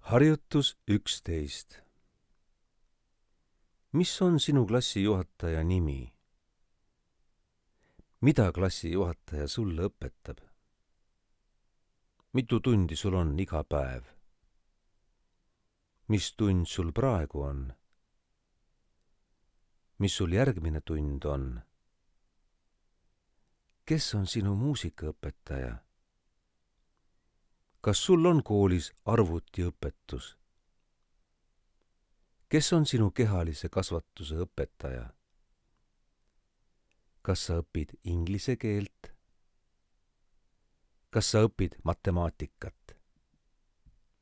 Harjutus 11. Mis on sinu klassijuhataja nimi? Mida klassijuhataja sulle õpetab? Mitu tundi sul on iga päev? Mis tund sul praegu on? Mis sul järgmine tund on? Kes on sinu muusikaõpetaja? Kas sul on koolis arvutiõpetus? Kes on sinu kehalise kasvatuse õpetaja? Kas sa õpid inglise keelt? Kas sa õpid matemaatikat?